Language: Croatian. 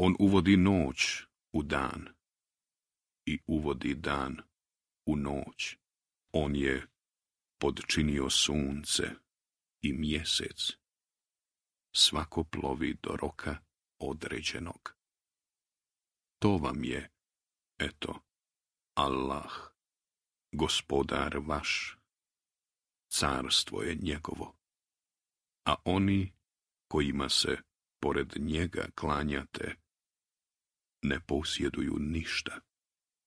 On uvodi noć u dan i uvodi dan u noć. On je podčinio sunce i mjesec. Svako plovi do roka određenog. To vam je, eto, Allah, gospodar vaš. Carstvo je njegovo, a oni kojima se pored njega klanjate ne posjeduju ništa.